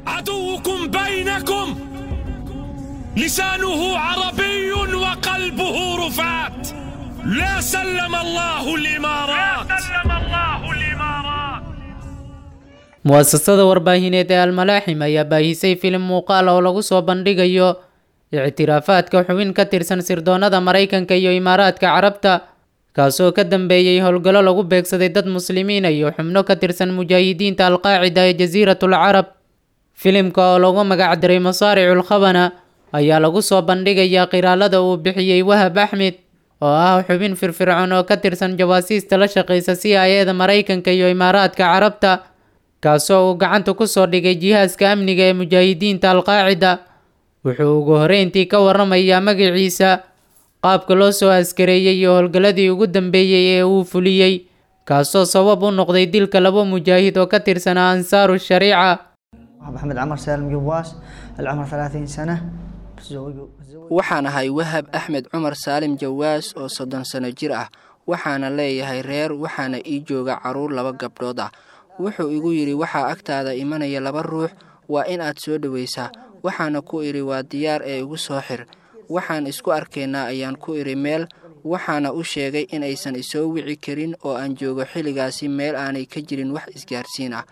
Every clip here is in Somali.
عدوكم بينكم لسانه عربي وقلبه رفات. لا سلم الله الإمارات. لا سلم الله الإمارات. Muasasada warbaahineed ee Almalaaxim ayaa baahisay filim muuqaal oo lagu soo bandhigayo ictiraafaadka xubin ka tirsan sirdoonnada Maraykanka iyo Imaaraadka Carabta, kaasoo ka dambeeyey howlgallo lagu beegsaday dad muslimiin iyo xubno ka tirsan mujaahidiinta Alqaacida ee Jasiiratul Carab. Filimka oo lagu magacdaray Masaaricul Khabana ayaa lagu soo bandhigayaa qiraalada uu bixiyey Wahab Axmed, oo ah xubin firfircoon oo ka tirsan jawaasiista la shaqeysa CIA-da Maraykanka iyo Imaaraadka Carabta, kaasoo uu gacanta ku soo dhigay jihaaska amniga ee mujaahidiinta Alqaacida. Wuxuu ugu horreyntii ka warramayaa magaciisa, qaabka loo soo askareeyey iyo howlgalladii ugu dambeeyey ee uu fuliyey, kaasoo sabab u noqday dilka laba mujaahid oo ka tirsanaa Ansaaru Shariica. محمد عمر سالم جواس، العمر 30 سنة، متزوج. Waxaan ahay Wahab Axmed Cumar Saalim Jawaas oo 30 sano jir ah. Waxaana leeyahay reer, waxaana ii jooga carruur laba gabdhood ah. Wuxuu igu yidhi, waxaa agtaada imanaya laba ruux, waa in aad soo dhowaysaa. Waxaana ku idhi, waa diyaar ee igu soo xir. Waxaan isku arkaynaa ayaan ku idhi meel. Waxaana u sheegay in aysan isoo wici karin oo aan joogo xilligaasi meel aanay ka jirin wax isgaarsiin ah.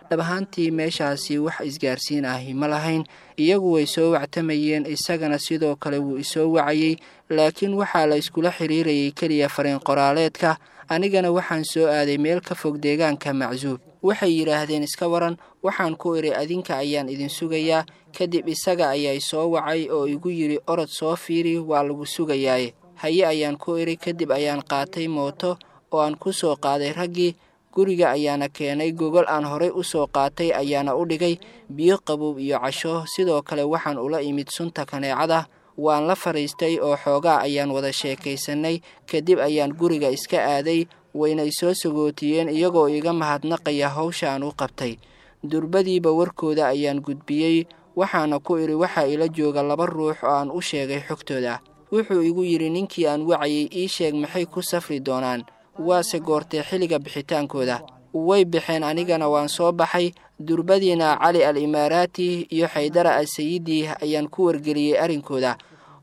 Dhab ahaantii meeshaasi wax isgaarsiin ahi ma lahayn. Iyagu way soo wactamayeen, isagana sidoo kale wuu isoo wacayey, laakiin waxaa la iskula xiriirayay keliya fariin qoraaleedka. Anigana waxaan soo aaday meel ka fog deegaanka Macsuub. Waxay yidhaahdeen, iska waran. Waxaan ku idhi, adinka ayaan idin sugayaa. Kadib isaga ayaa soo wacay oo igu yidhi, orod soo fiiri, waa lagu sugayaaye. Haye ayaan ku idhi. Kadib ayaan qaatay mooto oo aan ku soo qaaday raggii. Guriga ayaana keenay, gogol aan horay u soo qaatay ayaana u dhigay, biyo qabow iyo casho. Sidoo kale waxaan ula imid sunta kaneecada. Waan la fadhiistay oo xoogaa ayaan wada sheekaysanay. Kadib ayaan guriga iska aaday. Waynay soo sagootiyeen iyagoo iga mahadnaqaya howsha aan u qabtay. Durbadiiba warkooda ayaan gudbiyey. Waxaana ku idhi, waxaa ila jooga laba ruux oo aan u sheegay xogtooda. Wuxuu igu yidhi ninkii aan wacayay, ii sheeg maxay ku safri doonaan, waase goortee xilliga bixitaankooda? Way baxeen, anigana waan soo baxay. Durbadiina Cali al Imaaraati iyo Xaydara al Sayidi ayaan ku wargeliyey arrinkooda.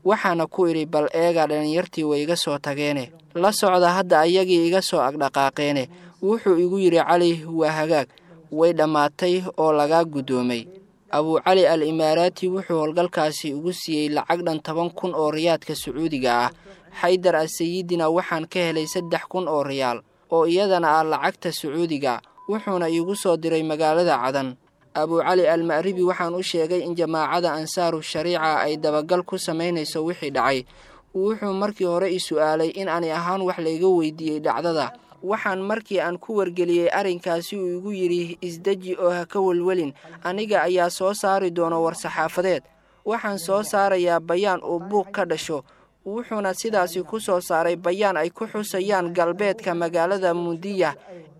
Waxaana ku idhi, bal eega, dhallinyartii way iga soo tageene, la socda hadda ayagii iga soo agdhaqaaqeene. Wuxuu igu yidhi Cali, waa hagaag, way dhammaatay oo lagaa guddoomay. Abuucali al Imaaraati wuxuu howlgalkaasi ugu siiyey lacag dhan 10,000 oo riyaadka Sacuudiga ah. Xaydar al Sayidina waxaan ka helay 3,000 oo riyaal oo iyadana ah lacagta Sacuudiga, wuxuuna iigu soo diray magaalada Cadan. Abuucali al Ma'ribi waxaan u sheegay in jamaacada Ansaaru Shariica ay dabagal ku samaynayso wixii dhacay. Wuxuu markii hore i su'aalay in ani ahaan wax layga weydiiyey dhacdada. Waxaan markii aan ku wargeliyey arrinkaasi uu igu yidhi, isdeji oo ha ka welwelin, aniga ayaa soo saari doono war-saxaafadeed. Waxaan soo saarayaa bayaan uu buuq ka dhasho. Wuxuuna sidaasi ku soo saaray bayaan ay ku xusayaan galbeedka magaalada Mundiya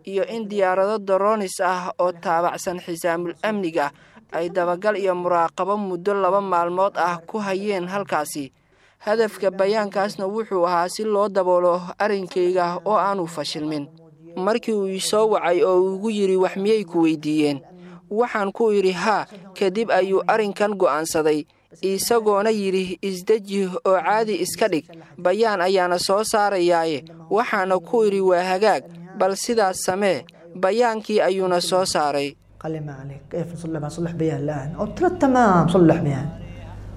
iyo in diyaarado doronis ah oo taabacsan xisaamul amniga ay dabagal iyo muraaqabo muddo 2 maalmood ah ku hayeen halkaasi. Hadafka bayaankaasna wuxuu ahaa si loo daboolo arrinkayga oo aanu fashilmin. Markii uu isoo wacay oo uu igu yidhi, wax miyay ku weydiiyeen? Waxaan ku idhi haa. Kadib ayuu arrinkan go'aansaday, isagoona yidhi, isdeji oo caadi iska dhig, bayaan ayaana soo saarayaaye. Waxaana ku idhi, waa hagaag, bal sidaas samee. Bayaankii ayuuna soo saaray. قال لي ما عليك، كيف نصلح؟ صلح بيان الآن. قلت له تمام، صلح بيان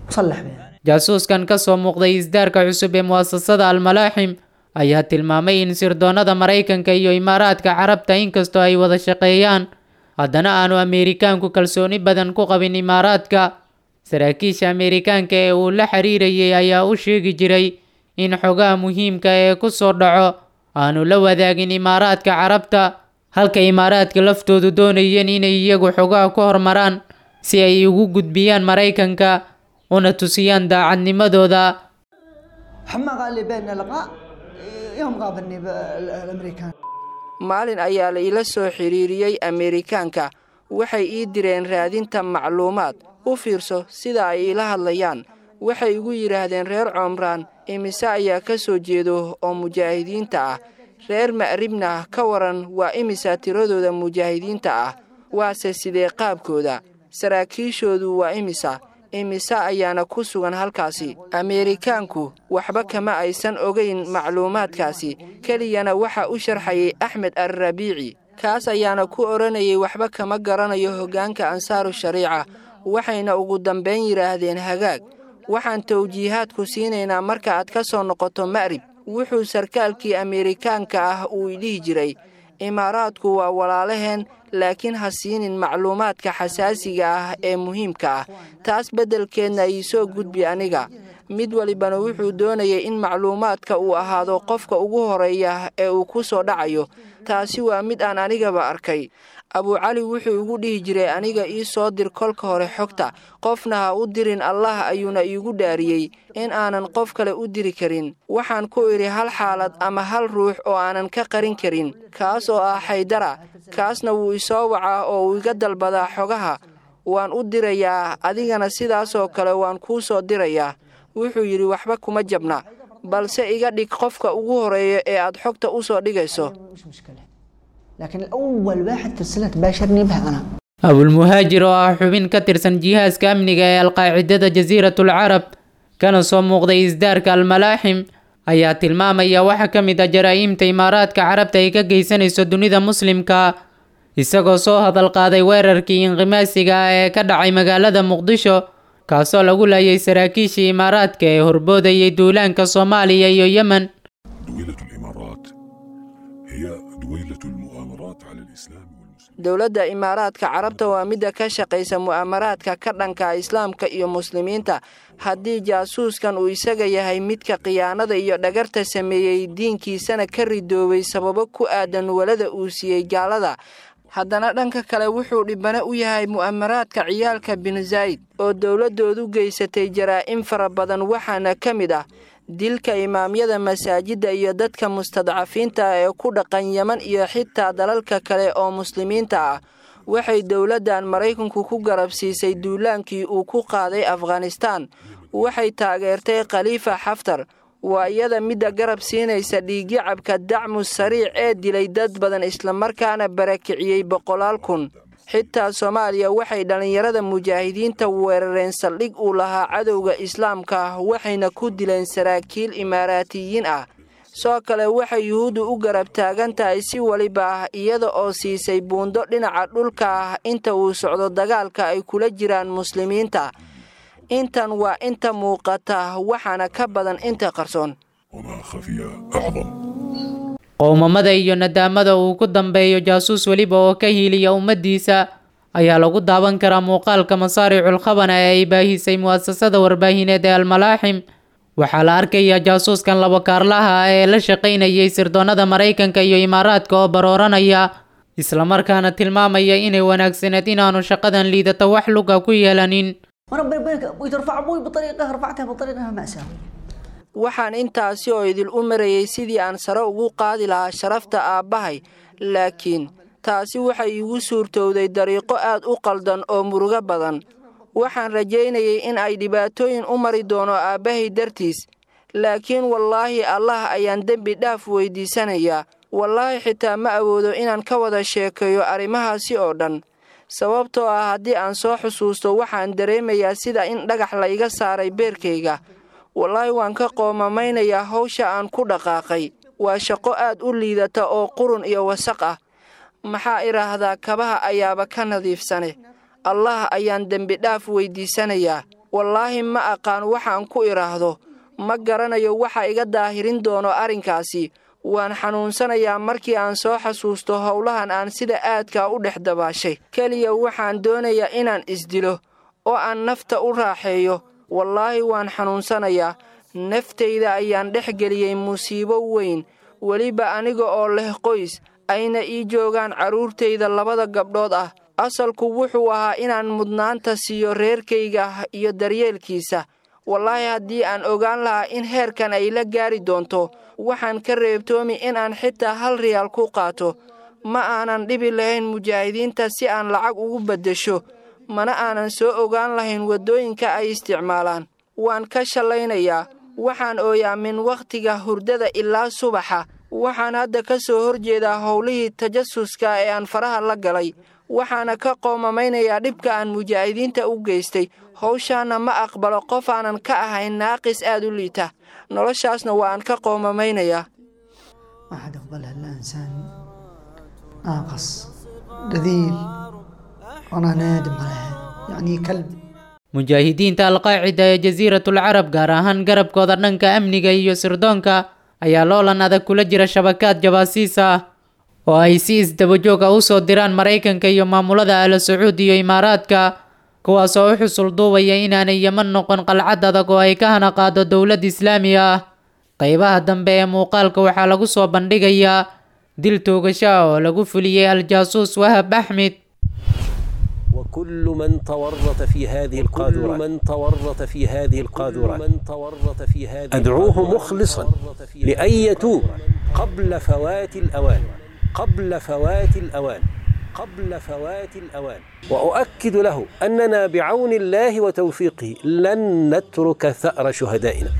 وصلح بيان. Jaasuuskan ka soo muuqday isdaarka cusub ee muasasada Almalaaxim ayaa tilmaamay in sirdoonnada Maraykanka iyo Imaaraadka Carabta inkastoo ay wada shaqeeyaan, haddana aanu Ameerikaanku kalsooni badan ku qabin Imaaraadka. Saraakiisha Ameerikaanka ee uu la xiriirayay ayaa u sheegi jiray in xogaha muhiimka ee ku soo dhaco aanu la wadaagin Imaaraadka Carabta, halka Imaaraadka laftoodu doonayeen inay iyagu xogaha ku hormaraan si ay ugu gudbiyaan Maraykanka una tusiyaan daacadnimadooda. حما قال لي بيننا لقاء يوم قابلني بالامريكان. Maalin ayaa la ila soo xiriiriyey Ameerikaanka. Waxay ii direen raadinta macluumaad. U fiirso sida ay iila hadlayaan. Waxay igu yidhaahdeen, reer Coomraan imise ayaa ka soo jeedo oo mujaahidiinta ah? Reer Ma'ribna ka waran, waa imisa tiradooda mujaahidiinta ah? Waase sidee qaabkooda? Saraakiishoodu waa imisa? Imisa ayaana ku sugan halkaasi? Ameerikaanku waxba kama aysan ogayn macluumaadkaasi, keliyana waxa u sharxayay Axmed Alrabiici. Kaas ayaana ku odhanayay waxba kama garanayo hoggaanka Ansaaru Shariica. Waxayna ugu dambayn yidhaahdeen hagaag, waxaan tawjiihaadku siinaynaa marka aad ka soo noqoto Ma'rib. Wuxuu sarkaalkii Ameerikaanka ah uu idhihi jiray, Imaaraadku waa walaalaheen, laakiin ha siinin macluumaadka xasaasiga ah ee muhiimka ah, taas beddelkeedna iisoo gudbi aniga. Mid walibana wuxuu doonayay in macluumaadka uu ahaado qofka ugu horeeya ee uu ku soo dhacayo. Taasi waa mid aan anigaba arkay. Abucali wuxuu igu dhihi jiray aniga ii soo dir kolka hore xogta, qofna ha u dirin. Allah ayuuna iigu dhaariyey in aanan qof kale u diri karin. Waxaan ku idhi hal xaalad ama hal ruux oo aanan ka qarin karin, kaas oo ah Xaydara. Kaasna wuu isoo wacaa oo uu iga dalbadaa xogaha, waan u dirayaa, adigana sidaasoo kale waan kuu soo dirayaa. Wuxuu yidhi waxba kuma jabna, balse iga dhig qofka ugu horeeya ee aad xogta u soo dhigayso. مش مشكلة، لكن الأول واحد ترسلها تباشرني بها أنا. Abulmuhaajir oo ah xubin ka tirsan jihaaska amniga ee Alqaacidada Jasiiratul Carab, kana soo muuqday isdaarka Almalaaxim, ayaa tilmaamaya waxa ka mid ah jaraa'imta Imaaraadka Carabta ay ka geysanayso dunida Muslimka, isagoo soo hadal qaaday weerarkii inqimaasiga ah ee ka dhacay magaalada Muqdisho, kaasoo lagu laayay saraakiishii Imaaraadka ee horboodayay duulaanka Soomaaliya iyo Yemen. دويلة الإمارات هي دويلة المؤامرات على الإسلام والمسلمين. Dowladda Imaaraadka Carabta waa midda ka shaqaysa mu'aamaraadka ka dhanka Islaamka iyo Muslimiinta. Haddii jaasuuskan uu isaga yahay midka khiyaanada iyo dhagarta sameeyey, diinkiisana ka ridoobay sababo ku aadan walada uu siiyey gaalada, haddana dhanka kale wuxuu dhibane u yahay mu'aamaraadka ciyaalka Bin Zayd oo dowladdoodu geysatay jaraa'im fara badan, waxaana ka mid ah dilka imaamyada masaajidda iyo dadka mustadcafiinta ah ee ku dhaqan Yeman iyo xitaa dalalka kale oo Muslimiinta ah. Waxay dowladdan Maraykanku ku garab siisay duulaankii uu ku qaaday Afghanistan. Waxay taageertay Khaliifa Xaftar. Waa iyada midda garab siinaysa dhiigyacabka Dacmu Sariic ee dilay dad badan islamarkaana barakiciyey boqolaal kun. Xitaa Soomaaliya waxay dhallinyarada mujaahidiinta weerareen saldhig uu lahaa cadowga Islaamka ah, waxayna ku dileen saraakiil Imaaraatiyiin ah. Soo kale waxay Yuhuuddu u garab taagan tahay si waliba ah, iyada oo siisay buundo dhinaca dhulka ah inta uu socdo dagaalka ay kula jiraan Muslimiinta. Intan waa inta muuqata, waxaana ka badan inta qarsoon. وما خفي أعظم. Qowmamada iyo nadaamada uu ku dambeeyo jaasuus weliba oo ka hiiliya ummaddiisa ayaa lagu daawan karaa muuqaalka Masaaricul Khabana ee ay baahisay mu'asasada warbaahineed ee Almalaaxim. Waxaa la arkayaa jaasuuskan labo kaarlaha ah ee la shaqaynayay sirdoonnada Maraykanka iyo Imaaraadka oo barooranaya, islamarkaana tilmaamaya inay wanaagsaneed inaanu shaqadan liidata wax luga ku yeelanin. وربنا يبارك ابوي، ترفع ابوي بطريقه رفعتها بطريقه مأساوية. Waxaan intaasi oo idil u marayay sidii aan sare ugu qaadi lahaa sharafta aabbahay, laakiin taasi waxay iigu suurtowday dariiqo aad u qaldan oo murugo badan. Waxaan rajaynayay in ay dhibaatooyin u mari doono aabbahay dartiis, laakiin wallaahi Allah ayaan dembi dhaaf weydiisanayaa. Wallaahi xitaa ma awoodo inaan ka wada sheekeeyo arrimahaasi oo dhan, sababtoo ah haddii aan soo xusuusto waxaan dareemayaa sida in dhagax la iga saaray beerkayga. Wallaahi waan ka qoomamaynaya hawsha aan ku dhaqaaqay. Waa shaqo aad u liidata oo qurun iyo wasaq ah. Maxaa idhaahdaa, kabaha ayaaba ka nadiifsane. Allah ayaan dembi dhaaf weydiisanayaa. Wallaahi ma aqaan waxaan ku idhaahdo, ma garanayo waxa iga daahirin doono arrinkaasi. Waan xanuunsanayaa markii aan soo xasuusto howlahan aan sida aadka u dhex dabaashay. Keliya waxaan doonayaa inaan isdilo oo aan nafta u raaxeeyo. Wallaahi waan xanuunsanayaa. Naftayda ayaan dhex geliyey musiibo weyn, weliba aniga oo leh qoys ayna ii joogaan carruurtayda labada gabdhood ah. Asalku wuxuu ahaa inaan mudnaanta siiyo reerkayga iyo daryeelkiisa. Wallaahi haddii aan ogaan lahaa in heerkan ay la gaari doonto, waxaan ka reebtoomi in aan xitaa 1 riyaal ku qaato. Ma aanan dhibi lahayn mujaahidiinta si aan lacag ugu beddesho, mana aanan soo ogaan lahayn waddooyinka ay isticmaalaan. Waan ka shallaynayaa. Waxaan ooyaa min wakhtiga hurdada ilaa subaxa. Waxaan hadda ka soo horjeedaa howlihii tajasuska ee aan faraha la galay. Waxaana ka qoomamaynayaa dhibka aan mujaahidiinta u geystay. Howshaana ma aqbalo qof aanan ka ahayn naaqis aad u liita. Noloshaasna waa aan ka qoomamaynayaa. ما حد يقبلها الا انسان ناقص رذيل، وانا نادم عليها، يعني كلب. Mujaahidiinta Alqaacida ee Jasiiratul Carab, gaar ahaan garabkooda dhanka amniga iyo sirdoonka, ayaa loolan adag kula jira shabakaad jabaasiis ah oo ay si isdabajoog ah usoo diraan Maraykanka iyo maamulada Ala Sacuud iyo Imaaraadka, kuwaas oo u xusul duubaya inaanay Yeman noqon qalcad adag oo ay ka hana qaado dowlad islaami ah. Qaybaha dambe ee muuqaalka waxaa lagu soo bandhigayaa dil toogasho ah oo lagu fuliyey aljaasuus Wahab Axmed. وكل من تورط في هذه القاذورات، من تورط في هذه القاذورات، من تورط في هذه، أدعوه مخلصا لأن يتوب قبل فوات الأوان، قبل فوات الأوان، قبل فوات الأوان. وأؤكد له أننا بعون الله وتوفيقه لن نترك ثأر شهدائنا.